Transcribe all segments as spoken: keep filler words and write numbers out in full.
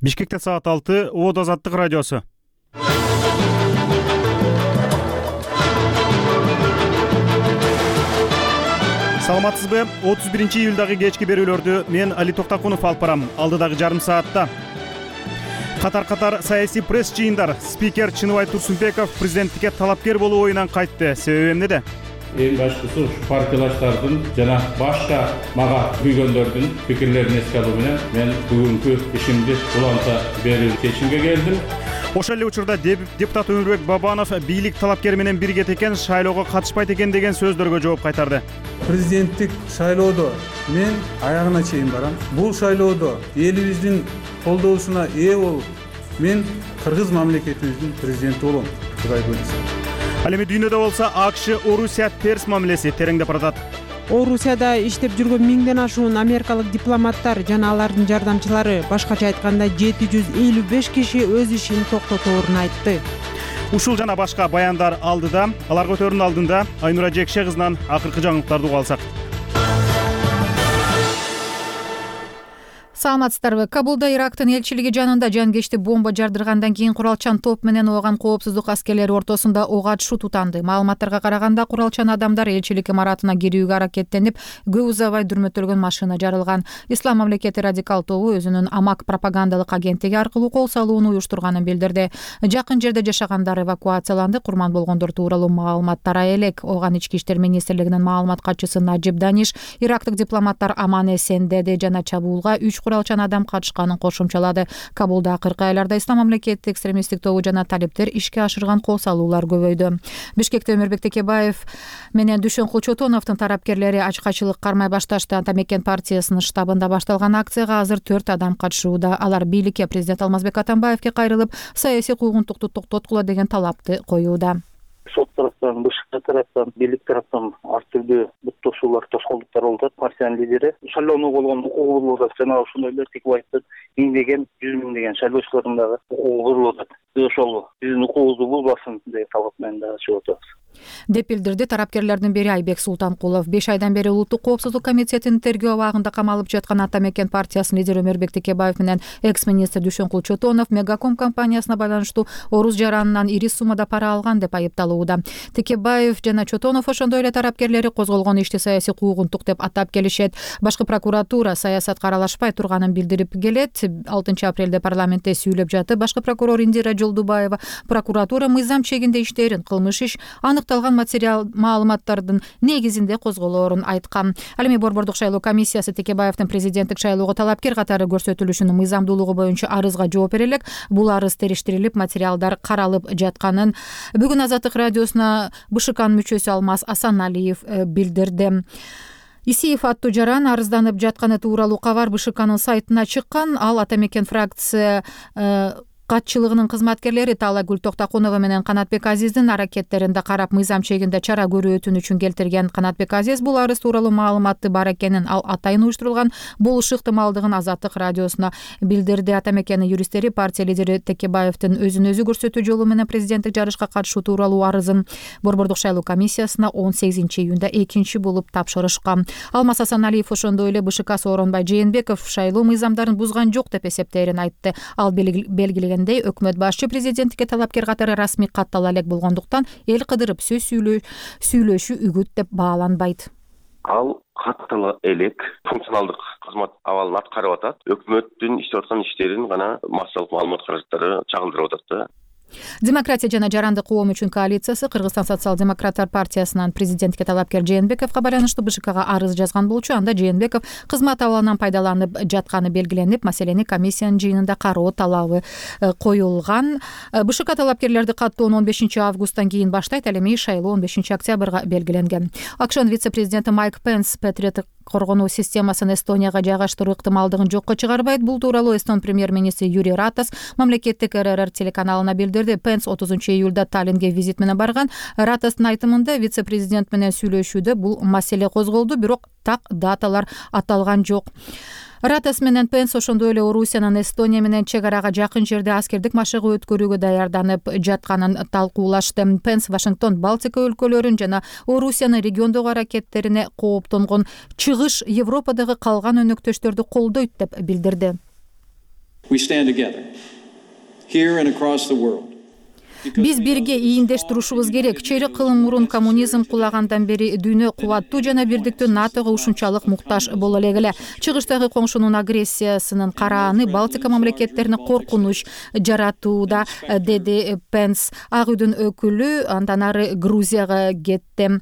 Бишкекте саат алты, Оот Азаттык радиосу. Саламатсызбы? отуз биринчи июлдагы кечки берүүлөрдү мен Али Токтакунов алып барам. Алдыдагы жарым саатта катар-катар саясий пресс жыйындар. Спикер Чыныбай Турсунбеков президенттикке талапкер болуу оюнан кайтты. Себеби эмнеде? Эң башкысы партиялаштардын жана башка мага күйгөндөрдүн пикирлерин эске алуу менен мен бүгүнкү ишимди уланта берүү чечимге келдим. Ошол эле учурда депутат Өмүрбек Бабанов бийлик талапкери менен биригет экен, шайлоого катышпайт экен деген сөздөргө жооп кайтарды. Президенттик шайлоодо мен аягына чейин барам. Бул шайлоодо элибиздин колдоосуна ээ болуп, мен кыргыз мамлекетибиздин президенти болом. Кудай буйрса. Ал эми дүйнөдө болсо АКШ Орусия терс мамилеси тереңдеп баратат. Орусияда иштеп жүргөн миңден ашуун америкалык дипломаттар жана алардын жардамчылары, башкача айтканда жети жүз элүү беш киши өз ишин токтоторун айтты. Ушул жана башка баяндар алдыда, алар көтөрүүнүн алдында Айнура Жекше кызынан акыркы жаңылыктарды уга алсак. Саламатсыздарбы? Кабулда Ирактын элчилиги жанында жанкечти бомба жардыргандан кийин куралчан топ менен ооган коопсуздук аскерлери ортосунда ок атышуу тутанды. Маалыматтарга караганда куралчан адамдар элчилик имаратына кирүүгө аракеттенип, көп узабай дүрмөтөлгөн машина жарылган. Ислам мамлекети радикал тобу өзүнүн Амак пропагандалык агенттиги аркылуу кол салууну уюштурганын билдирди. Жакын жерде жашагандар эвакуацияланды, курман болгондор тууралуу маалымат тарай элек. Ооган ички иштер министрлигинин маалымат катчысы Наджиб Даниш ирактык дипломаттар аман эсен деди жана чабуулга үч куралчан адам катышканын кошумчалады. Кабулда акыркы айларда Ислам мамлекети экстремисттик тобу жана талиптер ишке ашырган кол салуулар көбөйдү. Бишкекте Өмүрбек Текебаев менен Дүйшөнкул Чотоновдун тарапкерлери ачкачылык кармай башташты. Атамекен партиясынын штабында башталган акцияга азыр төрт адам катышууда. Алар бийликке президент Алмазбек Атамбаевке кайрылып, саясий куугунтукту токтоткула деген талапты коюуда. Сот тараптан, башка тараптан, бийлик тараптан ар түрдүү буттошуулар, тоскоолдуктар болуп атат. Партиянын лидери шайлоонуу болгон укугу болуп атат. Жана ошондой эле Текебаевдин миңдеген, жүз миңдеген шайлоочулардын дагы укугу кырылып атат. Биз ошол биздин укугубузду булбасын деген талап менен дагы чыгып атабыз деп билдирди тараптарлардын бири Айбек Султанкулов. беш айдан бери Улуттук коопсуздук комитетинин тергөө абагында камалып жаткан Атамекен партиясынын лидери Өмүрбек Текебаев менен экс-министр Дүйшөнкул Чотонов Мегаком компаниясына байланыштуу Орус жаранынан ири суммада пара алган деп айыпталууда. Текебаев жана Чотонов ошондой эле тарапкерлери козголгон ишти саясий куугунтук деп атап келишет. Башкы прокуратура саясатка аралашпай турганын билдирип келет. алтынчы апрелде парламентте сүйлөп жатып, башкы прокурор Индира Жолдубаева прокуратура мыйзам чегинде иштерин, кылмыш иш аныкталган материал маалыматтардын негизинде козголоорун айткан. Ал эми Борбордук шайлоо комиссиясы Текебаевдин президенттик шайлоого талапкер катары көрсөтүлүшүнүн мыйзамдуулугу боюнча арызга жооп бере элек. Бул арыз териштирилип, материалдар каралып жатканын бүгүн Азаттык радиосуна БШКнын мүчөсү Алмаз Асаналиев билдирди. Исиев аттуу жаран арызданып жатканы тууралуу кабар БШКнын сайтына чыккан. Ал Атамекен фракция катчылыгынын кызматкерлери Талагүл Токтакунова менен Канатбек Азиздин аракеттеринде карап, мыйзам чегинде чара көрүү өтүнүчүн келтирген. Канатбек Азиз бул арыз тууралуу маалыматты бар экенин, ал атайын уюштурулган болушу ыктымалдыгын Азаттык радиосуна билдирди. Атамекенин юристтери партия лидери Текебаевдин өзүн өзү көрсөтүү жолу менен президенттик жарышка катышуу тууралуу арызын Борбордук шайлоо комиссиясына он сегизинчи июнда экинчи болуп тапшырышкан. Алмаз Асаналиев ошондой эле БШК Сооронбай Жээнбеков шайлоо мыйзамдарын бузган жок деп эсептээрин айтты. Ал белгилеген өкмөт башчы президенттикке талапкер катары расмий каттала элек болгондуктан эл кыдырып сөз сүйлөшүү үгүт деп бааланбайт. Ал каттала элек функционалдык кызмат абалын аткарып атат. Өкмөттүн иштеп аткан иштерин гана массалык маалымат каражаттары чагылдырып атат да. Демократия жана жарандык коом үчүн коалициясы Кыргызстан социал-демократтар партиясынан президенттикке талапкер Жээнбековго байланыштуу БШКга арыз жазган болчу. Анда Жээнбеков кызмат абалынан пайдаланып жатканы белгиленип, маселени комиссиянын жыйынында кароо талабы коюлган. БШК талапкерлерди каттоону он бешинчи августтан кийин баштайт. Ал эми шайлоо он бешинчи октябрга белгиленген. АКШнын вице-президенти Майк Пенс Петрет коргонуу системасын Эстонияга жайгаштыруу ыктымалдыгын жокко чыгарбайт. Бул тууралуу Эстон премьер-министри Юрий Ратас мамлекеттик РРР телеканалына билдирди. Пенс отузунчу июлда Таллинге визит менен барган. Ратастын айтымында вице-президент менен сүйлөшүүдө бул маселе козголду, бирок так даталар аталган жок. Ратас менен Пенс ошондой эле Орусиянын Эстония менен чек арага жакын жерде аскердик машыгуу өткөрүүгө даярданып жатканын талкуулашты. Пенс Вашингтон, Балтика өлкөлөрүн жана Орусиянын региондогу аракеттерине кооптонгон чыгыш Европадагы калган өнөктөштөрдү колдойт деп билдирди. We stand together here and across the world. Биз бирге ийиндеш турушубуз керек. Чейрек кылым мурун коммунизм кулагандан бери дүйнө кубаттуу жана бирдиктүү натого ушунчалык муктаж боло элек. Чыгыштагы коңшунун агрессиясынын карааны Балтика мамлекеттерине коркунуч жаратууда, деди Пенс. Ак үйдүн өкүлү андан ары Грузияга кетти.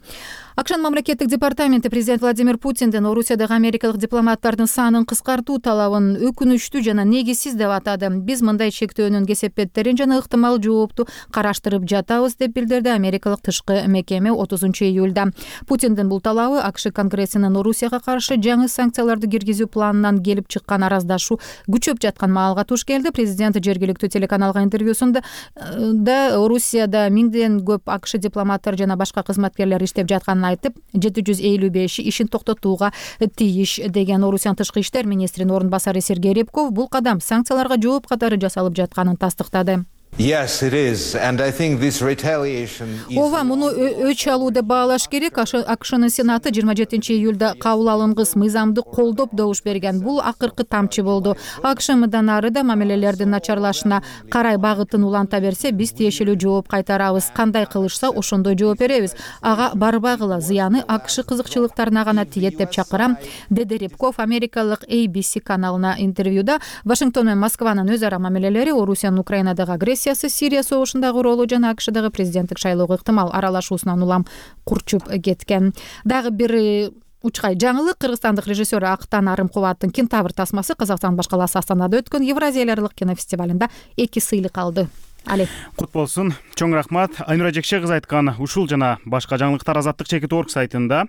Акшан мамлекеттик департаменти президент Владимир Путиндин Орусиядагы америкалык дипломаттардын санын кыскартуу талабын өкүнүчтүү жана негизсиз деп атады. Биз мындай чектөөнүн кесепеттерин жана ыктымал жоопту караштырып жатабыз деп билдирди америкалык тышкы мекеме отузунчу июлда. Путиндин бул талабы АКШ Конгрессинин Орусияга каршы жаңы санкцияларды киргизүү планынан келип чыккан араздашуу күчөп жаткан маалга туш келди. Президент жергиликтүү телеканалга интервьюсунда да Орусияда миңден көп АКШ дипломаттар жана башка кызматкерлер иштеп жатканын айтып, жети жүз элүү беши ишин токтотууга тийиш деген. Орусиянын тышкы иштер министринин орун басары Сергей Рябков бул кадам санкцияларга жооп катары жасалып жатканын тастыктады. Yes, it is, and I think this retaliation is... Ооба, муну өч алуу деп баалаш керек. АКШнын Сенаты жыйырма жетинчи июлда кабыл алынгыс мыйзамды колдоп добуш берген. Бул акыркы тамчы болду. АКШ мындан ары да мамилелердин начарлашына карай багытын уланта берсе, биз тиешелүү жооп кайтарабыз. Кандай кылышса, ошондой жооп беребиз. Ага барбагыла, зыяны АКШ кызыкчылыктарына гана тиет деп чакырам, деди Рябков америкалык A B C каналына интервьюда. Вашингтон менен Москванын өз ара мамилелери, Орусиянын Украинадагы агрессия, Сирия согушундагы ролу жана АКШдагы президенттик шайлоого ыктымал аралашуусунан улам курчуп кеткен. Дагы бир учкай жаңылык. Кыргызстандык режиссер Актан Арымкубаттын Кентавр тасмасы Казакстан башкаласы Астанада өткөн Евразия эл аралык кинофестивалында эки сыйлык алды. Али. Кут болсун. Чоң рахмат. Айнура Жекше кыз айткан ушул жана башка жаңылыктар Азаттык чекит точка орг сайтында.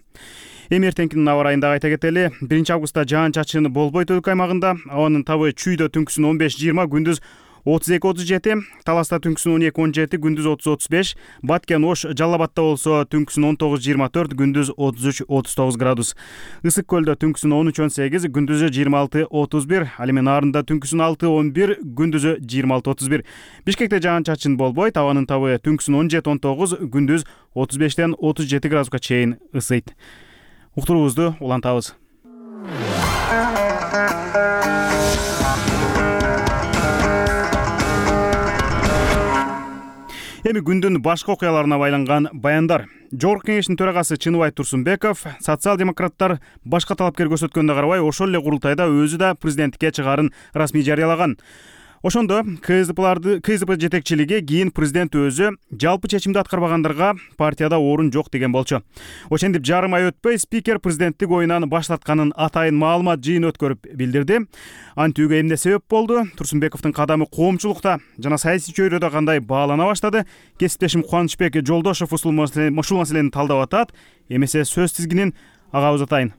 Эми эртеңкинин аба ырайында айта кетели. биринчи августта жаан-чачын болбойт өлкө аймагында. Абанын табы чүйдө түнкүсүн он беш жыйырма, күндүз отуз эки отуз жети, Таласта түнкүсүн он эки он жети, күндүз отуз отуз беш, Баткен Ош Жалал Абадта болсо түнкүсүн он тогуз жыйырма төрт, күндүз отуз үч отуз тогуз градус. Ысык көлдө түнкүсүн он үч он сегиз, күндүзү жыйырма алты отуз бир, ал эми Нарында түнкүсүн алты он бир, күндүзү жыйырма алты отуз бир. Бишкекте жаан-чачын болбойт, абанын табы түнкүсүн он жети он тогуз, күндүз отуз бештен отуз жети градуска чейин ысыйт. Уктуруубузду улантабыз. Эми күндүн башка окуяларына байланган баяндар. Жогорку кеңештин төрагасы Чыныбай Турсунбеков социал-демократтар башка талапкер көрсөткөнүнө карабай ошол эле курултайда өзү да президенттикке чыгаарын расмий жарыялаган. Ошондо КСДПларды КСДП жетекчилиги кийин президент өзү жалпы чечимди аткарбагандарга партияда орун жок деген болчу. Ошентип жарым ай өтпөй спикер президенттик оюнан баш тартканын атайын маалымат жыйын өткөрүп билдирди. Антүүгө эмне себеп болду? Турсунбековдун кадамы коомчулукта жана саясий чөйрөдө кандай баалана баштады? Кесиптешим Кубанычбек Жолдошов ушул маселени талдап атат. Эмесе сөз тизгинин ага узатайын.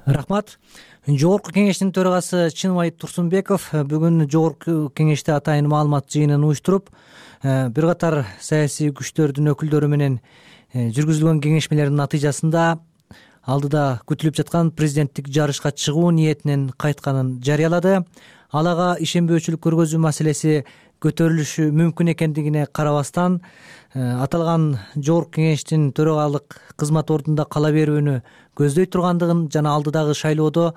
Рахмат. Жогорку кеңештин төрагасы Чыныбай Турсунбеков бүгүн жогорку кеңеште атайын маалымат жыйынын уюштуруп, бир катар саясий күчтөрдүн өкүлдөрү менен жүргүзүлгөн кеңешмелердин натыйжасында алдыда күтүлүп жаткан президенттик жарышка чыгуу ниетинен кайтканын жарыялады. Ал ага ишенбөөчүлүк көргөзүү маселеси көтөрүлүшү мүмкүн экендигине карабастан аталган жогорку кеңештин төрагалык кызмат ордунда кала берүүнү көздөй тургандыгын жана алдыдагы шайлоодо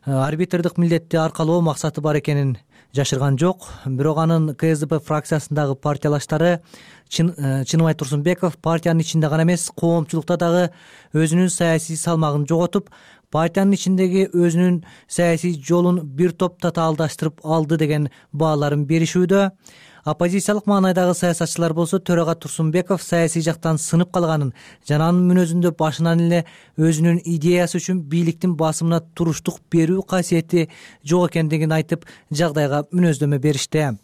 арбитрдик милдетти аркалоо максаты бар экенин жашырган жок. Бирок анын КСДП фракциясындагы партиялаштары Чыныбай Турсунбеков партиянын ичинде гана эмес, коомчулукта дагы өзүнүн саясий салмагын жоготуп, партиянын ичиндеги өзүнүн саясий жолун бир топ татаалдаштырып алды деген бааларын беришүүдө. Оппозициялык маанайдагы саясатчылар болсо төрага Турсунбеков саясий жактан сынып калганын жана анын мүнөзүндө башынан эле өзүнүн идеясы үчүн бийликтин басымына туруштук берүү касиети жок экендигин айтып, жагдайга мүнөздөмө беришти.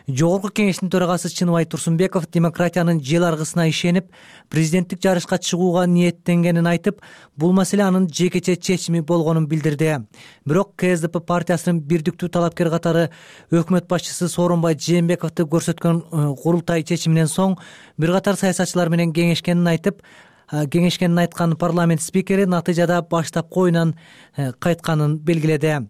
Жогорку кеңештин төрагасы Чыныбай Турсунбеков демократиянын жел аргысына ишенип, президенттик жарышка чыгууга ниеттенгенин айтып, бул маселе анын жекече чечими болгонун билдирди. Бирок КСДП партиясынын бирдиктүү талапкер катары өкмөт башчысы Сооронбай Жээнбековду көрсөткөн курултай чечиминен соң бир катар саясатчылар менен кеңешкенин айтып, кеңешкенин айткан парламент спикери натыйжада баштапкы оюнан кайтканын белгиледи.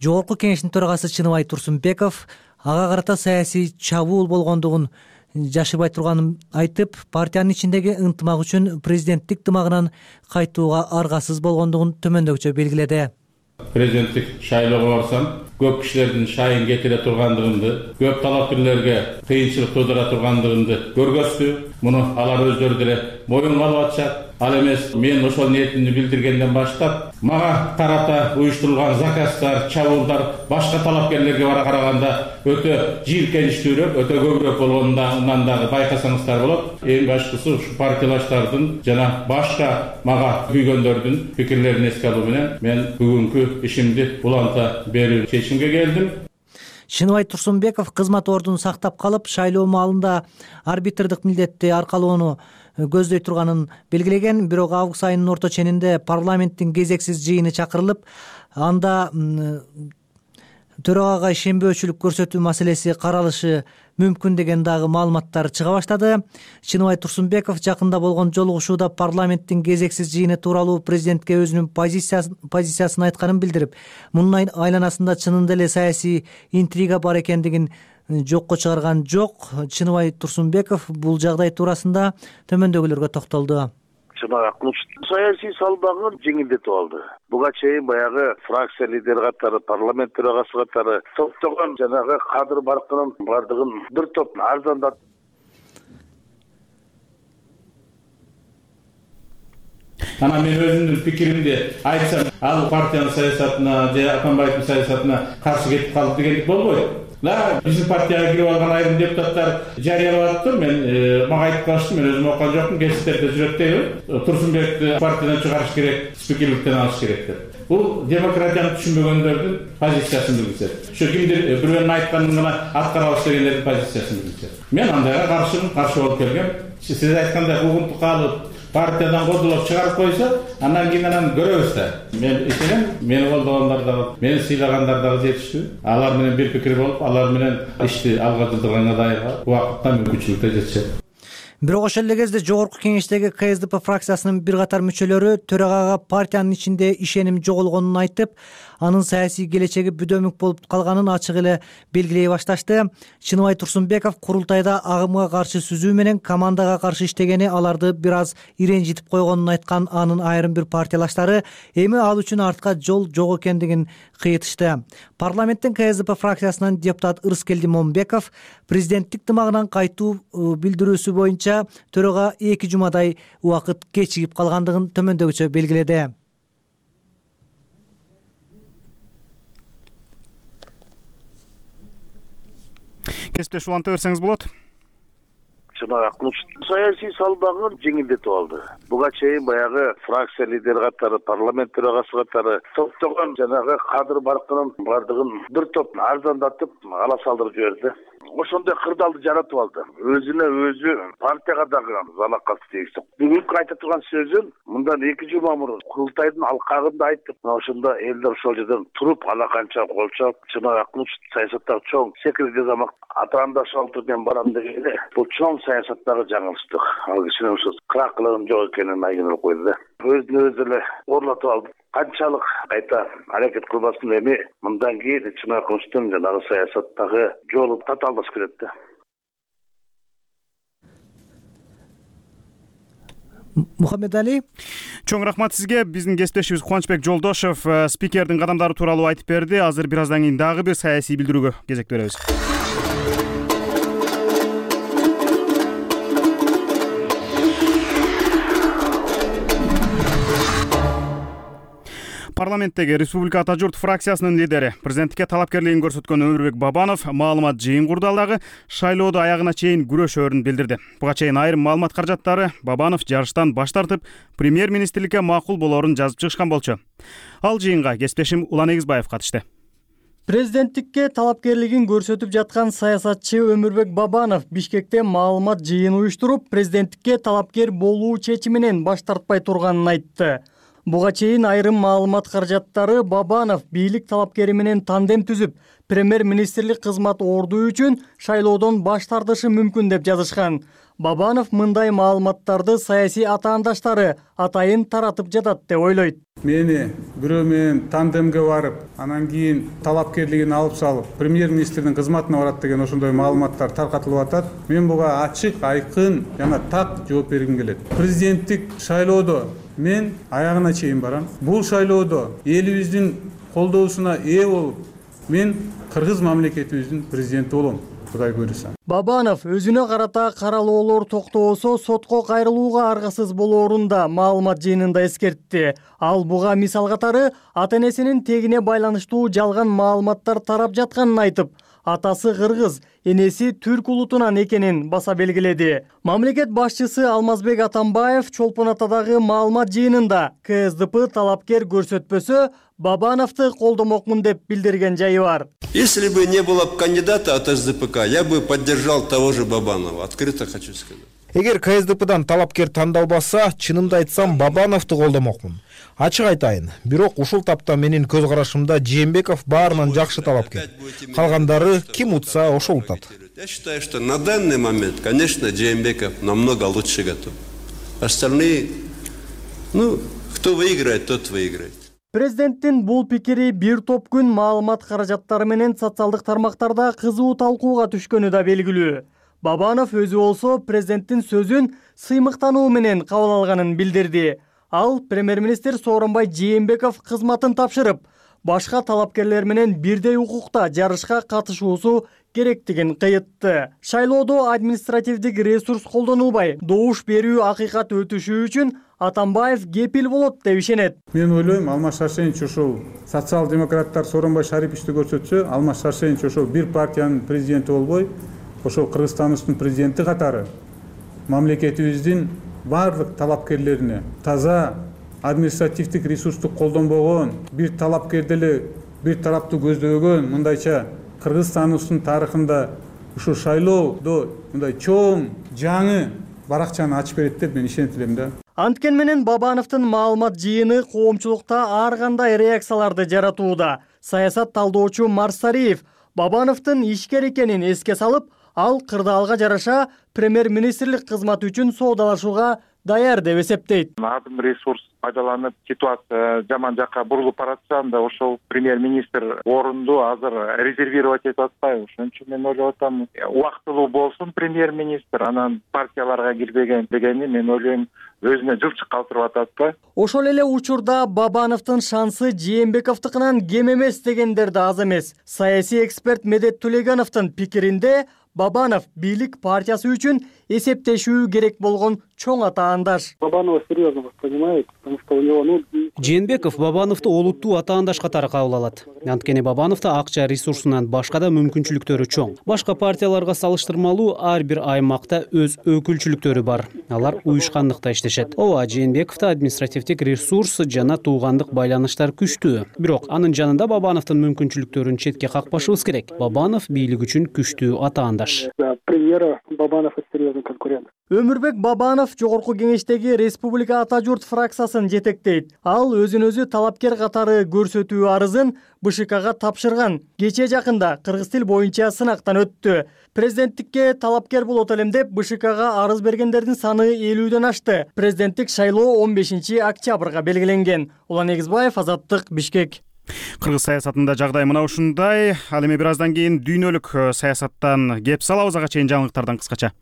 Жогорку кеңештин төрагасы Чыныбай Турсунбеков ага карата саясий чабуул болгондугун жашырбай турганын айтып, партиянын ичиндеги ынтымак үчүн президенттик тымагынан кайтууга аргасыз болгондугун төмөндөгүчө белгиледи. президенттик шайлоого барсам, көп кишилердин шайын кетире тургандыгымды, көп талапкерлерге кыйынчылык туудура тургандыгымды көргөздү. Муну алар өздөрү деле моюнга алып атышат. Ал эмес, мен ошол ниетимди билдиргенден баштап, мага карата уюштурулган заказдар, чабуулдар башка талапкерлерге караганда өтө жийиркеничтүүрөөк, өтө көбүрөөк болгонунан дагы байкасаңыздар болот. Эң башкысы ушу партиялаштардын жана башка мага күйгөндөрдүн пикирлерин эске алуу менен мен бүгүнкү ишимди уланта берүү чечимге келдим. Чыныбай Турсунбеков кызмат ордун сактап калып, шайлоо маалында арбитрдик милдетти аркалоону көздөй турганын белгилеген. Бирок август айынын орто ченинде парламенттин кезексиз жыйыны чакырылып, анда төрагага ишенбөөчүлүк көрсөтүү маселеси каралышы мүмкүн деген дагы маалыматтар чыга баштады. Чыныбай Турсунбеков жакында болгон жолугушууда парламенттин кезексиз жыйыны тууралуу президентке өзүнүн позициясын айтканын билдирип, мунун айланасында чынында эле саясий интрига бар экендигин жокко чыгарган жок. Чыныбай Турсунбеков бул жагдай туурасында төмөндөгүлөргө токтолду. Саясий салбагын жеңилдетип алды. Буга чейин баягы фракция лидери катары, парламент төрагасы катары топтогон жанагы кадыр баркынын бардыгын бир топ арзандатып. Ана мен өзүмдүн пикиримди айтсам, ал партиянын саясатына же Атамбаевдин саясатына каршы кетип калды дегендик болбойт. Да, биздин партияга кирип алган айрым депутаттар жарыялап атты. Мен мага айтып калышты, мен өзүм окуган жокмун, гезиттерде жүрөт дейби. Турсунбекти партиядан чыгарыш керек, спикерликтен алыш керек деп. Бул демократияны түшүнбөгөндөрдүн позициясын билдирет. Ошо кимдир бирөөнүн айтканын гана аткарабыз дегендердин позициясын билдирет. Мен андайга каршымын, каршы болуп келгем. Сиз айткандай угунтук алып, партиядан кодулоп чыгарып койсо, андан кийин анан көрөбүз да. Мен ишенем, мени колдогондар дагы, мени сыйлагандар дагы жетиштүү. Алар менен бир пикир болуп, алар менен ишти алга жылдырганга дайыр убакытта мүмкүнчүлүктөр жетишет. Бирок ошол эле кезде жогорку кеңештеги ка эс дэ пэ фракциясынын бир катар мүчөлөрү төрагага партиянын ичинде ишеним жоголгонун айтып, анын саясий келечеги бүдөмүк болуп калганын ачык эле белгилей башташты. Чыныбай Турсунбеков курултайда агымга каршы сүзүү менен командага каршы иштегени аларды бир аз иренжитип койгонун айткан анын айрым бир партиялаштары эми ал үчүн артка жол жок экендигин кыйытышты. Парламенттин ка эс дэ пэ фракциясынын депутат Ырыскелди Момбеков президенттик тымагынан кайтуу билдирүүсү боюнча төрага эки жумадай убакыт кечигип калгандыгын төмөндөгүчө белгиледи. Кесиптеш уланта берсеңиз болот. Саясий салбагын жеңилдетип алды. Буга чейин баягы фракция лидери катары, парламент төрагасы катары топтогон жанагы кадыр баркынын бардыгын бир топ арзандатып ала салдырып жиберди. Ошондой кырдаалды жаратып алды. Өзүнө өзү партияга дагы залакат тийгизди. Бүгүнкү айта турган сөзүн мындан эки жума мурун курултайдын алкагында айтып, ошондо элдер ошол жерден туруп ала канча кол чап, Чыныбай саясаттагы чоң секирге замак атаандаш алтыр мен барам дегенде, бул чоң саясаттагы жаңылыштык. Ал кишинин ошо кыракылыгын жок экенин айгинелеп койду да. Өзүнө өзү эле орлотуп алды. Канчалык кайта аракет кылбасын эми мындан кийин Чыныбай Кылычтын жанагы саясаттагы жолу татаалдаш келет да. Мухаммедали, чоң рахмат сизге. Биздин кесиптешибиз Кубанычбек Жолдошов спикердин кадамдары тууралуу айтып берди. Азыр бир аздан кийин дагы бир саясий билдирүүгө кезек беребиз. Парламенттеги Республика Ата журт фракциясынын лидери, президенттикке талапкерлигин көрсөткөн Өмүрбек Бабанов маалымат жыйын курду. Ал дагы шайлоодо аягына чейин күрөшөөрүн билдирди. Буга чейин айрым маалымат каражаттары Бабанов жарыштан баш тартып, премьер-министрликке макул болоорун жазып чыгышкан болчу. Ал жыйынга кесиптешим Улан Эгизбаев катышты. Президенттикке талапкерлигин көрсөтүп жаткан саясатчы Өмүрбек Бабанов Бишкекте маалымат жыйын уюштуруп, президенттикке талапкер болуу чечиминен баш тартпай турганын айтты. Буга чейин айрым маалымат каражаттары Бабанов бийлик талапкери менен тандем түзүп, премьер-министрлик кызмат ордуу үчүн шайлоодон баш тартышы мүмкүн деп жазышкан. Бабанов мындай маалыматтарды саясий атаандаштары атайын таратып жатат деп ойлойт. Мени бирөө менен тандемге барып, анан кийин талапкерлигин алып салып, премьер-министрдин кызматына барат деген ошондой маалыматтар таркатылып атат. Мен буга ачык, айкын жана так жооп бергим келет. Президенттик шайлоодо мен аягына чейин барам. Бул шайлоодо элибиздин колдоосуна ээ болуп мен кыргыз мамлекетибиздин президенти болом, Кудай буйруса. Бабанов өзүнө карата каралоолор токтоосо сотко кайрылууга аргасыз болоорун да маалымат жыйынында эскертти. Ал буга мисал катары ата-энесинин тегине байланыштуу жалган маалыматтар тарап жатканын айтып, атасы кыргыз, энеси түрк улутунан экенин баса белгиледи. Мамлекет башчысы Алмазбек Атамбаев Чолпон Атадагы маалымат жыйынында ка эс дэ пэ талапкер көрсөтпөсө Бабановду колдомокмун деп билдирген жайы бар. Если бы не было кандидата от эс дэ пэ ка, я бы поддержал того же Бабанова. Открыто хочу сказать. Эгер ка эс дэ пэдан талапкер тандалбаса, чынымды айтсам, Бабановду колдомокмун. Ачык айтайын, бирок ушул тапта менин көз карашымда Жээнбеков баарынан жакшы талапкер. Калгандары ким утса ошол утат. Я считаю, что на данный момент, конечно, Жээнбеков намного лучше готов. Остальные, ну, кто выиграет, тот выиграет. Президенттин бул пикири бир топ күн маалымат каражаттары менен социалдык тармактарда кызуу талкууга түшкөнү да белгилүү. Бабанов өзү болсо президенттин сөзүн сыймыктануу менен кабыл алганын билдирди. Ал премьер-министр Сооронбай Жээнбеков кызматын тапшырып, башка талапкерлер менен бирдей укукта жарышка катышуусу керектигин кыйытты. Шайлоодо административдик ресурс колдонулбай, добуш берүү акыйкат өтүшү үчүн Атамбаев кепил болот деп ишенет. Мен ойлойм, Алмаз Шаршенович ошол социал-демократтар Сооронбай Шариповичти көрсөтсө, Алмаз Шаршенович ошол бир партиянын президенти болбой, ошол Кыргызстандын президенти катары мамлекетибиздин барлык талапкерлерине таза административдик ресурсту колдонбогон, бир талапкерди эле бир тараптуу көздөгөн, мындайча Кыргызстандын тарыхында ушул шайлоодо мындай чоң жаңы баракчаны ачып берет деп мен ишенет элем да. Анткен менен Бабановдун маалымат жыйыны коомчулукта ар кандай реакцияларды жаратууда. Саясат талдоочу Марсариев Бабановдун ишкер экенин эске салып, ал кырдаалга жараша премьер-министрлик кызматы үчүн соодалашууга даяр деп эсептейт. Адым ресурс пайдаланып, ситуация жаман жакка бурулуп баратса, анда ошол премьер-министр орунду азыр резервировать этип атпайбы. Ошон үчүн мен ойлоп атам, убактылуу болсун премьер-министр, анан партияларга кирбеген дегенди мен ойлойм өзүнө жылчык калтырып атат да. Ошол эле учурда Бабановдун шансы Жээнбековдукунан кем эмес дегендер да аз эмес. Саясий эксперт Медет Төлегановдун пикиринде Бабанов бийлик партиясы үчүн эсептешүү керек болгон чоң атаандаш. Бабанова серьезно воспринимает, потому что у него, ну... Жээнбеков Бабановду олуттуу атаандаш катары кабыл алат. Анткени Бабановдо акча ресурсунан башка да мүмкүнчүлүктөрү чоң. Башка партияларга салыштырмалуу ар бир аймакта өз өкүлчүлүктөрү бар. Алар уюшкандыкта иштешет. Ооба, Жээнбековдо административдик ресурс жана туугандык байланыштар күчтүү. Бирок анын жанында Бабановдун мүмкүнчүлүктөрүн четке какпашыбыз керек. Бабанов бийлик үчүн күчтүү атаандаш. Премьера Бабанов серьезный конкурент. Өмүрбек Бабанов жогорку кеңештеги Республика Ата журт фракциясын жетектейт. Ал өзүн өзү талапкер катары көрсөтүү арызын бэ шэ кага тапшырган. Кечээ жакында кыргыз тил боюнча сынактан өттү. Президенттикке талапкер болот элем деп бэ шэ кага арыз бергендердин саны элүүдөн ашты. Президенттик шайлоо он бешинчи октябрга белгиленген. Улан Эгизбаев, Азаттык, Бишкек. Кыргыз саясатында жагдай мына ушундай. Ал эми бир аздан кийин дүйнөлүк саясаттан кеп салабыз, ага чейин жаңылыктардан кыскача.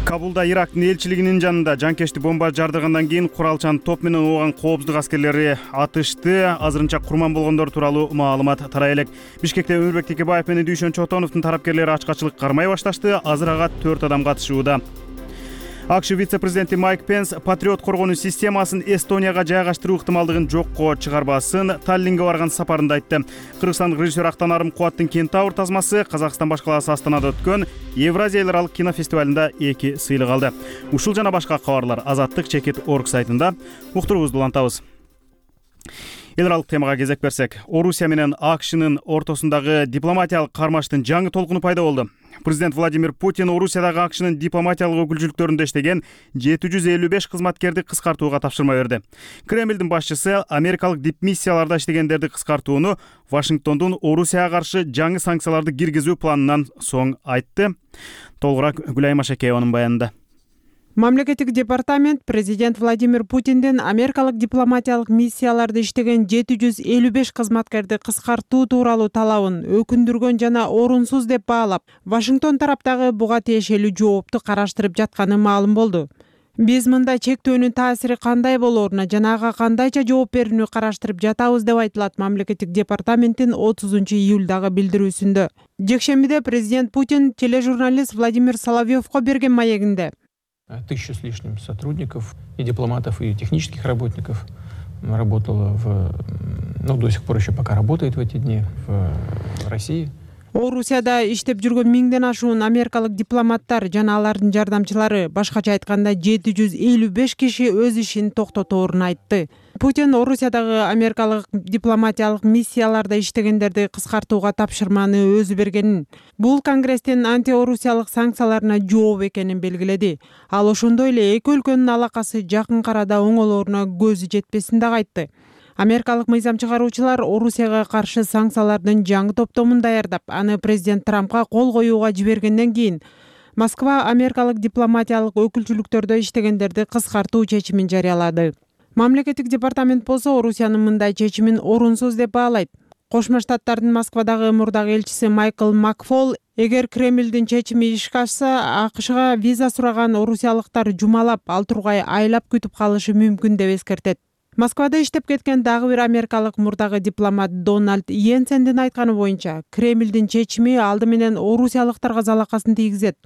Кабулда Ирактын элчилигинин жанында жанкечти бомба жардыргандан кийин куралчан топ менен ооган коопсуздук аскерлери атышты. Азырынча курман болгондор тууралуу маалымат тарай элек. Бишкекте Өмүрбек Текебаев менен Дүйшөн Чотоновдун тарапкерлери ачкачылык кармай башташты. Азыр ага төрт адам катышууда. АКШ вице-президенти Майк Пенс патриот коргонуу системасын Эстонияга жайгаштыруу ыктымалдыгын жокко чыгарбасын Таллинге барган сапарында айтты. Кыргызстандык режиссер Актанарым Кубаттын Кентавр тазмасы Казакстан башкаласы Астанада өткөн Евразия эл аралык кинофестивалында эки сыйлык алды. Ушул жана башка кабарлар Азаттык чекит точка орг сайтында. Уктуруубузду улантабыз. Эл аралык темага кезек берсек, Орусия менен АКШнын ортосундагы дипломатиялык кармаштын жаңы толкуну пайда болду. Президент Владимир Путин Орусиядагы АКШнын дипломатиялык өкүлчүлүктөрүндө иштеген жети жүз элүү беш кызматкерди кыскартууга тапшырма берди. Кремлдин башчысы америкалык дипмиссияларда иштегендерди кыскартууну Вашингтондун Орусияга каршы жаңы санкцияларды киргизүү планынан соң айтты. Толугураак Гүлайым Ашекееванын баянында. Мамлекеттик департамент президент Владимир Путиндин америкалык дипломатиялык миссияларда иштеген жети жүз элүү беш кызматкерди кыскартуу тууралуу талабын өкүндүргөн жана орунсуз деп баалап, Вашингтон тараптагы буга тиешелүү жоопту караштырып жатканы маалым болду. Биз мында чектөөнүн таасири кандай болоруна жана ага кандайча жооп берүүнү караштырып жатабыз деп айтылат мамлекеттик департаменттин отузунчу июлдагы билдирүүсүндө. Жекшембиде президент Путин тележурналист Владимир Соловьевко берген маегинде Тысяча с лишним сотрудников, и дипломатов, и технических работников работало в, ну, до сих пор еще пока работает в эти дни в России. Орусияда иштеп жүргөн миңден ашуун америкалык дипломаттар жана алардын жардамчылары, башкача айтканда жети жүз элүү беш киши өз ишин токтоторун айтты. Путин Орусиядагы америкалык дипломатиялык миссияларда иштегендерди кыскартууга тапшырманы өзү бергенин, бул Конгресстин антиорусиялык санкцияларына жооп экенин белгиледи. Ал ошондой эле эки өлкөнүн алакасы жакын арада оңолоруна көзү жетпесин дагы айтты. Америкалык мыйзам чыгаруучулар Орусияга каршы санкциялардын жаңы топтомун даярдап, аны президент Трампка кол коюуга жибергенден кийин Москва америкалык дипломатиялык өкүлчүлүктөрдө иштегендерди кыскартуу чечимин жарыялады. Мамлекеттик департамент болсо Орусиянын мындай чечимин орунсуз деп баалайт. Кошмо Штаттардын Москвадагы мурдагы элчиси Майкл Макфол, эгер Кремлдин чечими ишке ашса, АКШга виза сураган орусиялыктар жумалап, ал тургай айлап күтүп калышы мүмкүн деп эскертет. Москвада иштеп кеткен дагы бир америкалык мурдагы дипломат Дональд Йенсендин айтканы боюнча, Кремлдин чечими алды менен орусиялыктарга залакасын тийгизет.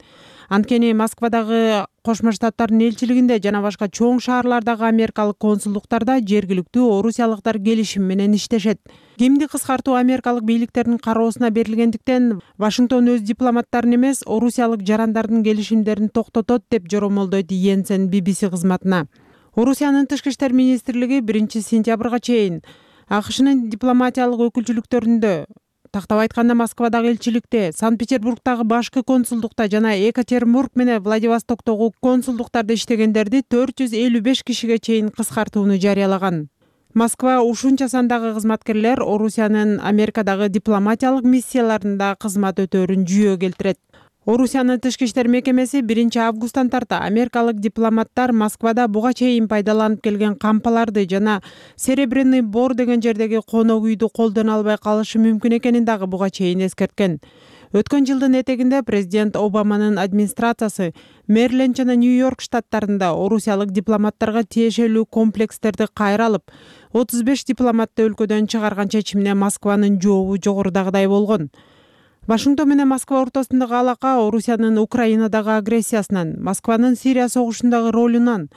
Анткени Москвадагы Кошмо Штаттардын элчилигинде жана башка чоң шаарлардагы америкалык консулдуктарда жергиликтүү орусиялыктар келишим менен иштешет. Кимди кыскартуу америкалык бийликтердин кароосуна берилгендиктен, Вашингтон өз дипломаттарын эмес, орусиялык жарандардын келишимдерин токтотот деп жоромолдойт Йенсен би би си кызматына. Орусиянын тышкы иштер министрлиги биринчи сентябрга чейин АКШнын дипломатиялык өкүлчүлүктөрүндө, тактап айтканда Москвадагы элчиликте, Санкт-Петербургдагы башкы консулдукта жана Екатеринбург менен Владивостоктогу консулдуктарда иштегендерди төрт жүз элүү беш кишиге чейин кыскартууну жарыялаган. Москва ушунча сандагы кызматкерлер Орусиянын Америкадагы дипломатиялык миссияларында кызмат өтөөрүн жүйө келтирет. Орусиянын тышкы иштер мекемеси биринчи августтан тарта америкалык дипломаттар Москвада буга чейин пайдаланып келген кампаларды жана Серебряный Бор деген жердеги конок үйдү колдоно албай калышы мүмкүн экенин дагы буга чейин эскерткен. Өткөн жылдын этегинде президент Обаманын администрациясы Мэриленд жана Нью-Йорк штаттарында орусиялык дипломаттарга тиешелүү комплекстерди кайра алып, отуз беш дипломатты өлкөдөн чыгарган чечимине Москванын жообу жогорудагыдай болгон. Вашингтон менен Москва ортосундагы алака Орусиянын Украинадагы агрессиясынан, Москванын Сирия согушундагы ролунан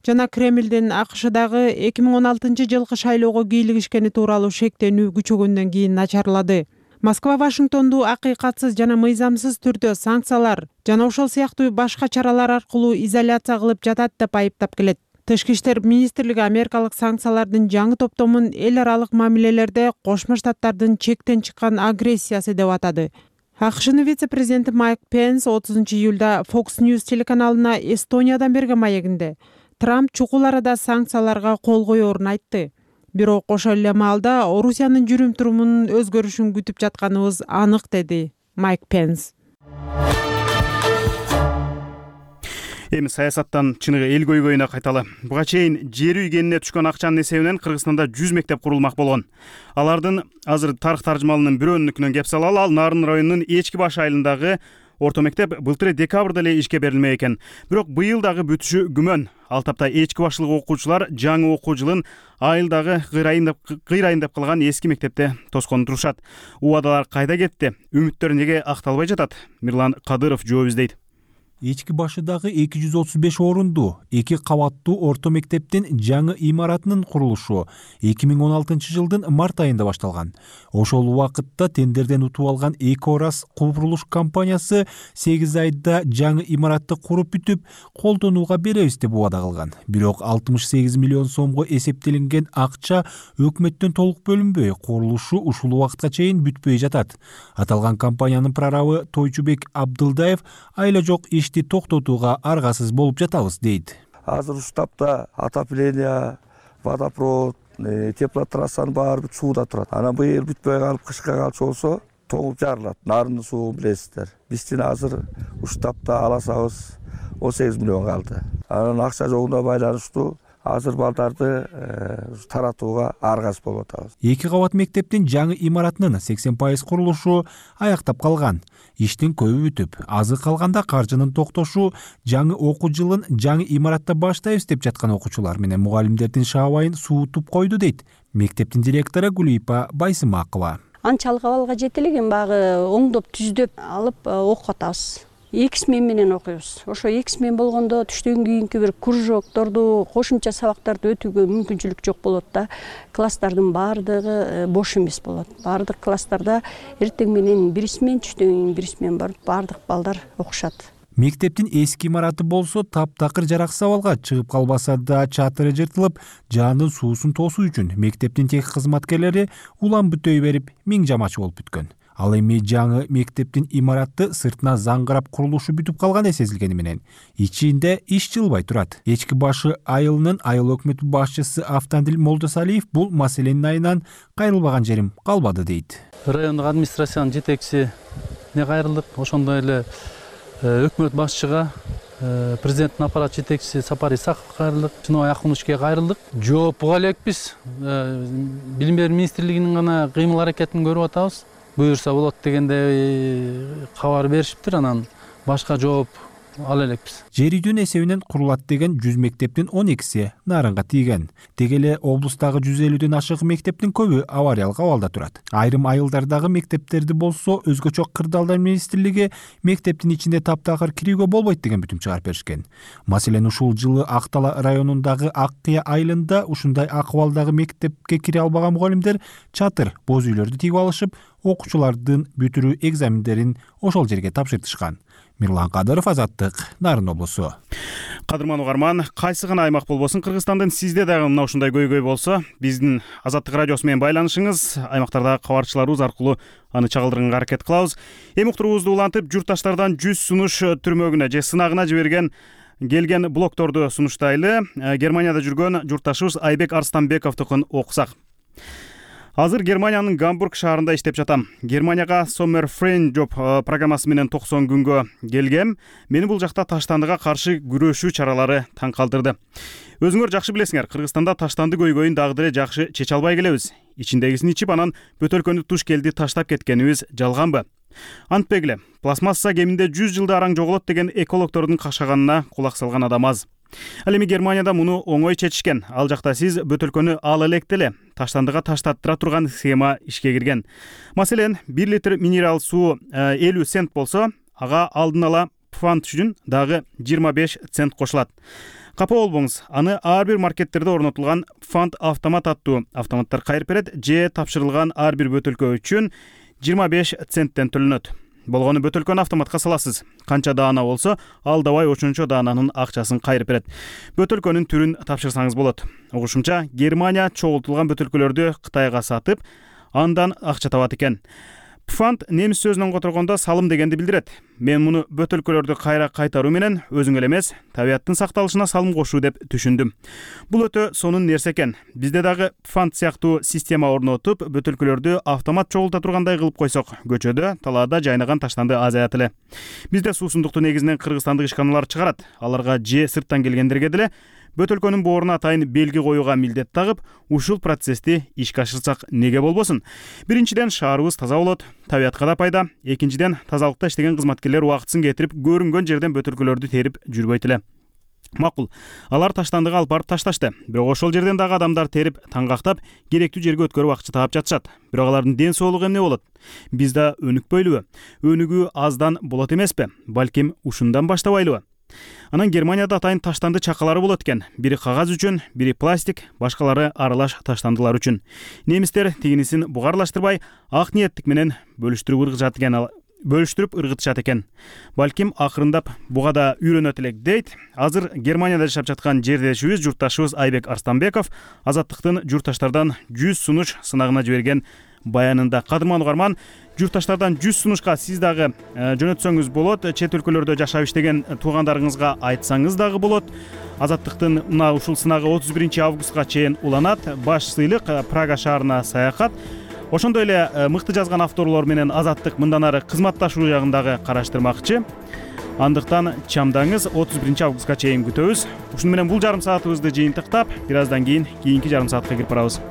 жана Кремлдин АКШдагы эки миң он алтынчы жылкы шайлоого кийлигишкени тууралуу шектенүү күчөгөндөн кийин начарлады. Москва Вашингтонду акыйкатсыз жана мыйзамсыз түрдө санкциялар жана ошол сыяктуу башка чаралар аркылуу изоляция кылып жатат деп айыптап келет. Тышкы иштер министрлиги америкалык санкциялардын жаңы топтомун эл аралык мамилелерде Кошмо Штаттардын чектен чыккан агрессиясы деп атады. АКШнын вице-президенти Майк Пенс отузунчу июлда Fox News телеканалына Эстониядан берген маегинде Трамп чукул арада санкцияларга кол коерун айтты. Бирок ошол эле маалда Орусиянын жүрүм-турумунун өзгөрүшүн күтүп жатканыбыз анык, деди Майк Пенс. Эми саясаттан чыныгы эл көйгөйүнө кайталы. Буга чейин жер үй кенине түшкөн акчанын эсебинен Кыргызстанда жүз мектеп курулмак болгон. Алардын азыр тарых таржымалынын бирөөнүнүкүнөн кеп салалы, ал Нарын районунун Эчки баш айылындагы орто мектеп былтыр декабрда эле ишке берилмек экен. Бирок быйыл дагы бүтүшү күмөн. Ал тапта Эчки башлык окуучулар жаңы окуу жылын айылдагы кыйрайын деп кыйрайын деп калган эски мектепте тоскону турушат. Убадалар кайда кетти? Үмүттөр неге акталбай жатат? Мирлан Кадыров жооп издейт. Эчки башыдагы эки жүз отуз беш орунду эки кабаттуу орто мектептин жаңы имаратынын курулушу эки миң он алтынчы жылдын март айында башталган. Ошол убакытта тендерден утуп алган эки орас курулуш компаниясы сегиз айда жаңы имаратты куруп бүтүп, колдонууга беребиз деп убада кылган. Бирок алтымыш сегиз миллион сомго эсептелинген акча өкмөттөн толук бөлүнбөй, курулушу ушул убакытка чейин бүтпөй жатат. Аталган компаниянын прорабы Тойчубек Абдылдаев айла жок ишти токтотууга аргасыз болуп жатабыз дейт. Азыр ушул тапта отопление, водопровод, теплотрассанын баары бүт сууда турат. Анан быйыл бүтпөй калып, кышка калчу болсо тоңуп жарылат. Нарындын суун билесиздер. Биздин азыр ушул тапта аласабыз он сегиз миллион калды. анан акча жогуна байланыштуу азыр балдарды таратууга аргасыз болуп атабыз. Эки кабат мектептин жаңы имаратынын сексен пайыз курулушу аяктап калган. Иштин көбү бүтүп, азы калганда каржынын токтошу жаңы окуу жылын жаңы имаратта баштайбыз деп жаткан окуучулар менен мугалимдердин шаабайын суутуп койду дейт мектептин директору Гүлипа Байсымакова. Анчалык абалга жете элек, баягы оңдоп түздөп алып окуп атабыз. Эки смен менен окуйбуз. Ошо эки смен болгондо түштөн кийинки бир кружокторду, кошумча сабактарды өтүүгө мүмкүнчүлүк жок болот да. Класстардын баардыгы бош эмес болот. Баардык класстарда эртең менен бир смен, түштөн кийин бир смен барып, баардык балдар окушат. Мектептин эски имараты болсо таптакыр жараксыз абалга чыгып калбаса да чатыры жыртылып, жаандын суусун тосуу үчүн мектептин техник кызматкерлери улам бүтөй берип, миң жамачы болуп бүткөн. Ал эми жаңы мектептин имараты сыртына заңгырап курулушу бүтүп калгандай сезилгени менен ичинде иш жылбай турат. Эчки башы айылынын айыл өкмөтү башчысы Автандил Молдосалиев бул маселенин айынан кайрылбаган жерим калбады дейт. Райондук администрациянын жетекчисине кайрылдык, ошондой эле өкмөт башчыга, президенттин аппарат жетекчиси Сапар Исаковго кайрылдык, Чыныбай Акуновичке кайрылдык. Жооп буга элекпиз. Билим берүү министрлигинин гана кыймыл аракетин көрүп атабыз. Буюрса болот дегенде кабар беришиптир, анан башка жооп ала элекпиз. Жер үйдүн эсебинен курулат деген жүз мектептин он экиси нарынга тийген. Деги эле облустагы жүз элүүдөн ашык мектептин көбү авариялык абалда турат. Айрым айылдардагы мектептерди болсо өзгөчө кырдаалдар министрлиги мектептин ичинде таптакыр кирүүгө болбойт деген бүтүм чыгарып беришкен. Маселен ушул жылы Актала районундагы Ак Кыя айылында ушундай акыбалдагы мектепке кире албаган мугалимдер чатыр, боз үйлөрдү тигип алышып, окуучулардын бүтүрүү экзамендерин ошол жерге тапшыртышкан. Мирлан Кадыров, Азаттык, Нарын облусу. Кадырман угарман, кайсы гана аймак болбосун Кыргызстандын сизде дагы мына ушундай көйгөй болсо, биздин Азаттык радиосу менен байланышыңыз, аймактардагы кабарчыларыбыз аркылуу аны чагылдырганга аракет кылабыз. Эми уктуруубузду улантып, журтташтардан жүз сунуш түрмөгүнө же сынагына жиберген келген блогторду сунуштайлы. Германияда жүргөн журтташыбыз Айбек Арстанбековдукун окусак. Азыр Германиянын Гамбург шаарында иштеп жатам. Германияга Summer Friend Job программасы менен токсон күнгө келгем. Мени бул жакта таштандыга каршы күрөшүү чаралары таң калтырды. Өзүңөр жакшы билесиңер, Кыргызстанда таштанды көйгөйүн дагы деле жакшы чече албай келебиз. Ичиндегисин ичип, анан бөтөлкөнү туш келди таштап кеткенибиз жалганбы? Антпегиле, пластмасса кеминде жүз жылда араң жоголот деген экологтордун кашаганына кулак салган адам аз. Ал эми Германияда муну оңой чечишкен. Ал жакта сиз бөтөлкөнү ала элек деле таштандыга таштаттыра турган схема ишке кирген. Маселен, бир литр минерал суу элүү цент болсо, ага алдын ала пфант үчүн дагы жыйырма беш цент кошулат. Капа болбоңуз, аны ар бир маркеттерде орнотулган фант автомат аттуу автоматтар кайрып берет, же тапшырылган ар бир бөтөлкө үчүн жыйырма беш центтен төлөнөт. Болгону бөтөлкөнү автоматка саласыз. Канча даана болсо, ал давай ошончо даананын акчасын кайрып берет. Бөтөлкөнүн түрүн тапшырсаңыз болот. Угушумча, Германия чогултулган бөтөлкөлөрдү Кытайга сатып, андан акча табат экен. Пфант немис сөзүнөн которгондо салым дегенди билдирет. Мен муну бөтөлкөлөрдү кайра кайтаруу менен өзүң эле эмес, табияттын сакталышына салым кошуу деп түшүндүм. Бул өтө сонун нерсе экен. Бизде дагы пфант сыяктуу система орнотуп, бөтөлкөлөрдү автомат чогулта тургандай кылып койсок, көчөдө, талаада жайнаган таштанды азаят эле. Бизде суусундукту негизинен кыргызстандык ишканалар чыгарат. Аларга же сырттан келгендерге деле бөтөлкөнүн бооруна атайын белги коюуга милдет тагып, ушул процессти ишке ашырсак неге болбосун? Биринчиден, шаарыбыз таза болот, табиятка да пайда. Экинчиден, тазалыкта иштеген кызматкерлер убактысын кетирип, көрүнгөн жерден бөтөлкөлөрдү терип жүрбөйт эле. Макул, алар таштандыга алып барып ташташты. Бирок ошол жерден дагы адамдар терип, таңгактап, керектүү жерге өткөрүп акча таап жатышат. Бирок алардын ден соолугу эмне болот? Биз да өнүкпөйлүбү? Өнүгүү аздан болот эмеспи? Балким ушундан баштабайлыбы? Анан Германияда атайын таштанды чакалары болот экен. Бири кагаз үчүн, бири пластик, башкалары аралаш таштандылар үчүн. Немистер тигинисин бугарлаштырбай, ак ниеттик менен бөлүштүрүп ыргытышат экен. Бөлүштүрүп ыргытышат экен. Балким акырындап буга да үйрөнөт элек дейт. Азыр Германияда жашап жаткан жердешибиз, журтташыбыз Айбек Арстанбеков Азаттыктын журтташтардан жүз сунуш сынагына жиберген баянында. Кадырман угарман, журтташтардан жүз сунушка сиз дагы жөнөтсөңүз болот. Чет өлкөлөрдө жашап иштеген туугандарыңызга айтсаңыз дагы болот. Азаттыктын мына ушул сынагы отуз биринчи августка чейин уланат. Баш сыйлык Прага шаарына саякат. Ошондой эле мыкты жазган авторлор менен Азаттык мындан ары кызматташуу жагын дагы караштырмакчы. андыктан чамдаңыз отуз биринчи августка чейин күтөбүз. Ушуну менен бул жарым саатыбызды жыйынтыктап, бир аздан кийин кийинки жарым саатка кирип барабыз.